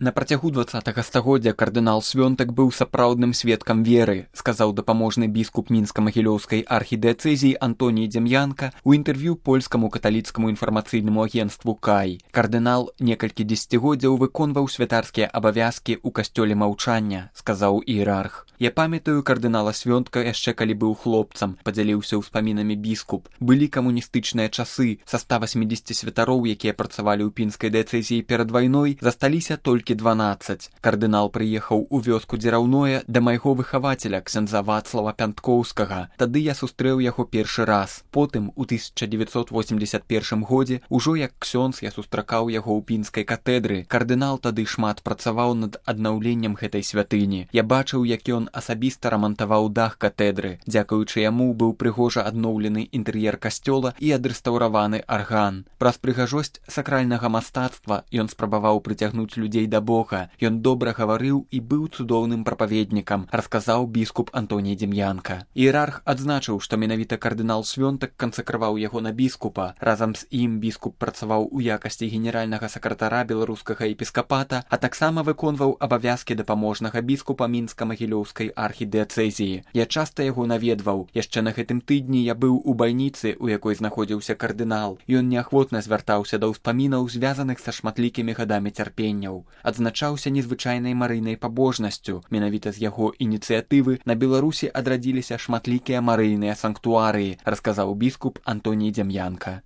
На працягу 20-га стагоддзя кардынал Свёнтак быў сапраўдным сведкам веры, сказаў дапаможны біскуп мінска-магілёўскай архідыяцэзіі Антоній Дзем'янка ў інтэрв'ю польскаму каталіцкаму інфармацыйнаму агенцтву «Кай». Кардынал некалькі дзесяцігоддзяў выконваў святарскія абавязкі ў касцёле маўчання, сказаў іерарх. Я памятаю кардынала Свёнтка яшчэ калі быў хлопцам, падзяліўся ўспамінамі біскуп. Былі камуністычныя часы, са 180 святароў, якія працавалі ў пінскай дыяцэзіі перад вайной, засталіся толькі 12. Кардынал прыехаў у вёску Дзераўное да майго выхавацеля, ксяндза Вацлава Пянткоўскага. Тады я сустрэў яго першы раз. Потым, у 1981 годзе, ужо як ксёндз я сустракаў яго ў пінскай катэдры. Кардынал тады шмат працаваў над аднаўленнем гэтай святыні. Я бачыў, як ён асабіста рамантаваў дах катэдры. Дзякуючы яму быў прыгожа адноўлены інтэр'ер касцёла і адрэстаўраваны арган. Праз прыгажосць сакральнага мастацтва ён спрабаваў прыцягнуць людзей да Бога. Ён добра гаварыў і быў цудоўным прапаведнікам, расказаў біскуп Антоній Дзем'янка. Іерарх адзначыў, што менавіта кардынал Свёнтак кансакраваў яго на біскупа. Разам з ім біскуп працаваў у якасці генеральнага сакратара беларускага епіскапата, а таксама выконваў абавязкі дапаможнага біскупа мінска-магілёўскай архідыяцэзіі. Я часта яго наведваў. Яшчэ на гэтым тыдні я быў у бальніцы, у якой знаходзіўся кардынал. Ён неахвотна звяртаўся да ўспамінаў, звязаных са шматлікімі гадамі цярпенняў. Адзначаўся незвычайнай марыйнай пабожнасцю. Менавіта з яго ініцыятывы на Беларусі адрадзіліся шматлікія марыйныя санктуарыі, расказаў біскуп Антоній Дзем'янка.